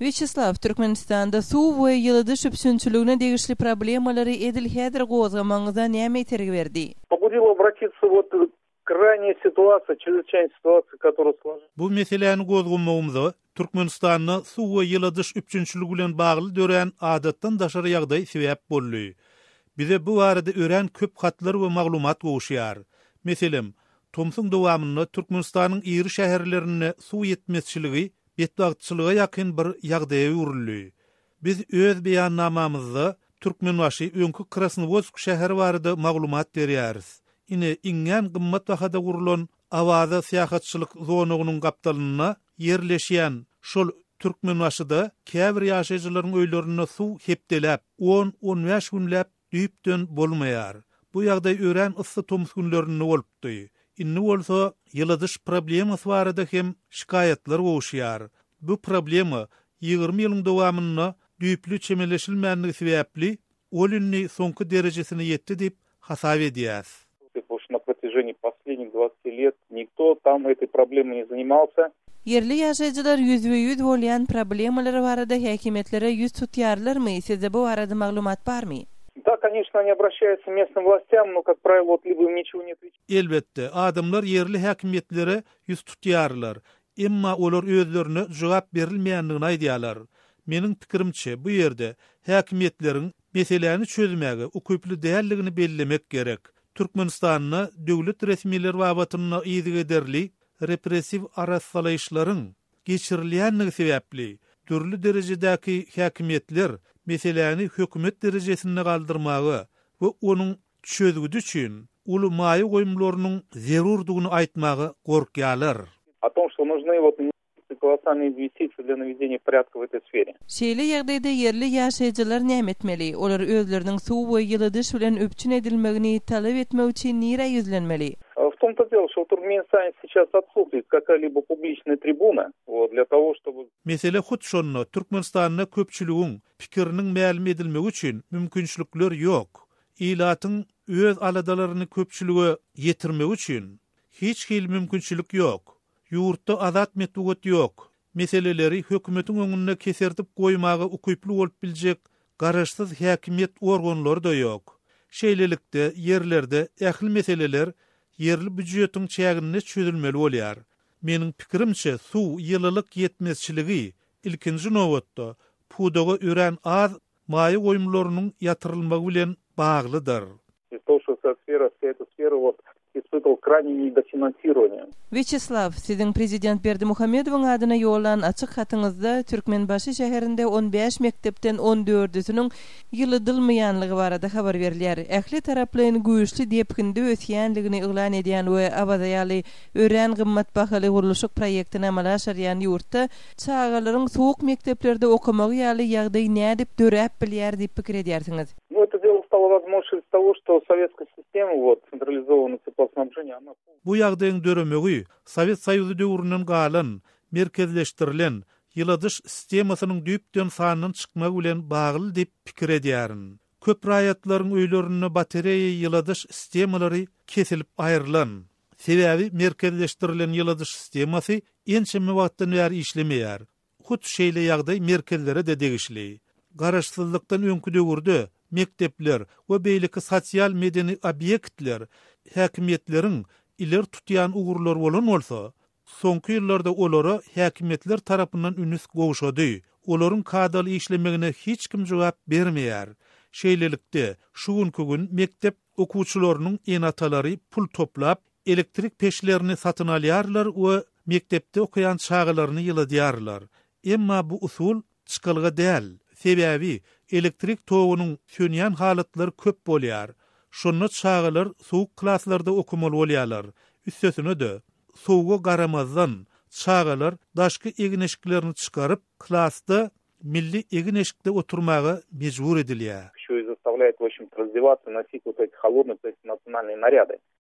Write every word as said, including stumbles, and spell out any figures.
Wýaçeslaw, Türkmenistanda suw we ýyladyş üpjünçiligine degişli problemalary edil häzir gozgamagyňyza näme itergi berdi? Побудило обратиться вот крайняя ситуация, чрезвычайная ситуация, которая сложилась. Bu meseläni gozgamagymyza Türkmenistanda suw we ýyladyş üpjünçiligi bilen bagly dörän adatdan daşary ýagdaý sebäp boldy. Bize bu barada örän köp hatlar we maglumat gowuşýar. Meselem, tomsuň dowamynda Türkmenistanyň iri şäherlerinde suw ýetmezçiligi betbagtçylyga ýakyn bir ýagdaýa öwrüldi. Biz öz beýannamamyzda Türkmenbaşy öňki Krasnowodsk şäheri barada maglumat berýäris. Ine iňňän gymmat bahada gurulan Awaza syýahatçylyk zonagynyň gapdalynda ýerleşýän şol Türkmenbaşyda käbir ýaşaýjylaryň öýlerinde suw hepdeläp on-on bäş günläp düýpden bolmaýar. Bu ýagdaý örän yssy tomus günlerinde bolupdy. Indi bolsa ýyladyş problemasy barada hem şikaýatlar gowuşýar. Bu problema ýigrimi ýylyň dowamynda düýpli çemeleşilmänligi sebäpli ol indi soňky derejesine ýetdi diýip hasap edýäs. Потому что на протяжении последних двадцати лет никто там этой проблемой не занимался. Ýerli ýaşaýjylar ýüzbe-ýüz bolýan problemalar barada häkimiýetlere ýüz tutýarlarmy? Sizde bu barada maglumat barmy? Да, конечно, они обращаются к местным властям, но, как правило, вот либо им ничего не отвечают. Elbetde, adamlar ýerli häkimiýetlere ýüz tutýarlar. Emma olar özlerine jogap berilmeýändigini aýdýarlar. Meniň pikirimçe, bu ýerde häkimiýetleriň meseläni çözmäge ukyply däldigini bellemek gerek. Türkmenistanda döwlet resmileri babatynda yzygiderli repressiw arassalaýyşlaryň geçirilýänligi sebäpli dürli derejedäki häkimiýetler meseläni hökümet derejesinde galdyrmaga we onuň çözgüdi üçin uly maýa goýumlarynyň zerurdygyny aýtmaga gorkýarlar. О том, что нужны вот колоссальные инвестиции для наведения порядка в этой сфере. Şeýle ýagdaýda ýerli ýaşaýjylar näme etmeli? Olar özleriniň suw we ýyladyş bilen üpjün edilmegini talap etmek üçin nirä ýüzlenmeli? В том-то дело, что в Туркменистане сейчас отсутствует какая-либо публичная трибуна, вот, для того, чтобы Mesele hut şonda Türkmenistanda köpçüligiň pikiriniň mälim edilmegi üçin mümkinçilikler ýok. Ilatyň öz aladalaryny köpçülige ýetirmek üçin hiç hili mümkinçilik ýok. Ýurtda azat metbugat ýok. Meseleleri hökümetiň öňünde keserdip goýmaga ukyply bolup biljek garaşsyz häkimiýet organlary da ýok. Şeýlelikde ýerlerde ähli meseleler ýerli býujetiň çäginde çözülmeli bolýar. Meniň pikirimçe suw ýylylyk ýetmezçiligi ilkinji nobatda pudaga örän az maýa goýumlarynyň ýatyrylmagy bilen baglydyr. Из того, что вся сфера, вся эта сфера вот испытывал крайнее недофинансирование. Wýaçeslaw, siziň prezident Berdimuhamedowyň adyna ýollan açyk hatyňyzda Türkmenbaşy şäherinde on bäş mekdepden on dördüsiniň ýylydylmaýanlygy barada habar berilýär. Ähli taraplaryň güýçli depginde ösýänligini yglan edýän we Awaza ýaly örän gymmat bahaly gurluşyk proýektini amala aşyrýan ýurtda çagalaryň soğuk mekdeplerde okamagy ýaly ýagdaý nädip döräp bilýär diýip pikir edýärsiňiz? Ну, это дело стало возможным из того, что советская система, вот, централизованное теплоснабжение, она Bu ýagdaýyň döremegi Sowet Soýuzy döwründen galan, merkezleşdirilen ýyladyş sistemasynyň düýpden sandan çykmagy bilen bagly diýip pikir edýärin. Köp raýatlaryň öýlerinde batareýa ýyladyş sistemalary kesilip aýrylan. Sebäbi merkezleşdirilen ýyladyş sistemasy ençeme wagtdan bäri işlemeýär. Hut şeýle ýagdaý merkezlere de degişli. Garaşsyzlykdan öňkü döwürde mektepler we beýleki sosial medeni obýektler häkimiýetleriň ileri tutýan ugurlar bolan bolsa, soňky ýyllarda olara häkimiýetler tarapyndan ünüs gowşady. Olaryň kadaly işlemegine hiç kim jogap bermeýär. Şeýlelikde, şu günkü gün mektep okuwçylarynyň ene-atalary pul toplap, elektrik peçlerini satyn alýarlar we mektepde okaýan çagalaryny ýyladýarlar. Emma bu usul çykalga däl. Sebäbi elektrik togunyň sönýän halatlar köp bolýar. Şonda çagalar soğuk klaslarda okumaly bolýarlar. Üstesine de soğuga garamazdan çagalar daşky egin-eşiklerini çykaryp klasda milli egin-eşikde oturmaga mejbur edilýär. Еще и заставляет, в общем-то, раздеваться, носить вот эти холодные, то есть национальные наряды.